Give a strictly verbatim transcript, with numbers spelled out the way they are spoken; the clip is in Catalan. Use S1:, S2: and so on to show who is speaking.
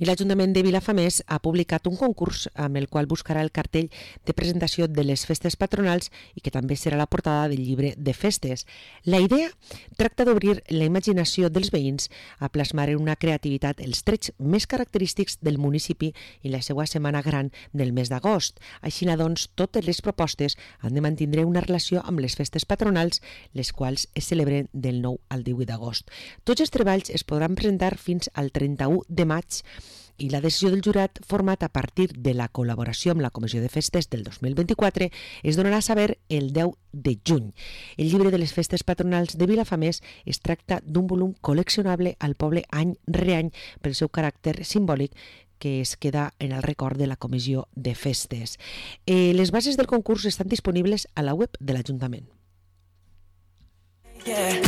S1: I l'Ajuntament de Vilafamés ha publicat un concurs amb el qual buscarà el cartell de presentació de les festes patronals i que també serà la portada del llibre de festes. La idea tracta d'obrir la imaginació dels veïns a plasmar en una creativitat els trets més característics del municipi i la seva setmana gran del mes d'agost. Així, doncs, totes les propostes han de mantenir una relació amb les festes patronals, les quals es celebren del nou al divuit d'agost. Tots els treballs es podran presentar fins al trenta-u de maig i la decisió del jurat, format a partir de la col·laboració amb la Comissió de Festes del dos mil vint-i-quatre, es donarà a saber el deu de juny. El llibre de les festes patronals de Vilafamés es tracta d'un volum col·leccionable al poble any rere any pel seu caràcter simbòlic que es queda en el record de la Comissió de Festes. Eh, les bases del concurs estan disponibles a la web de l'Ajuntament. Yeah,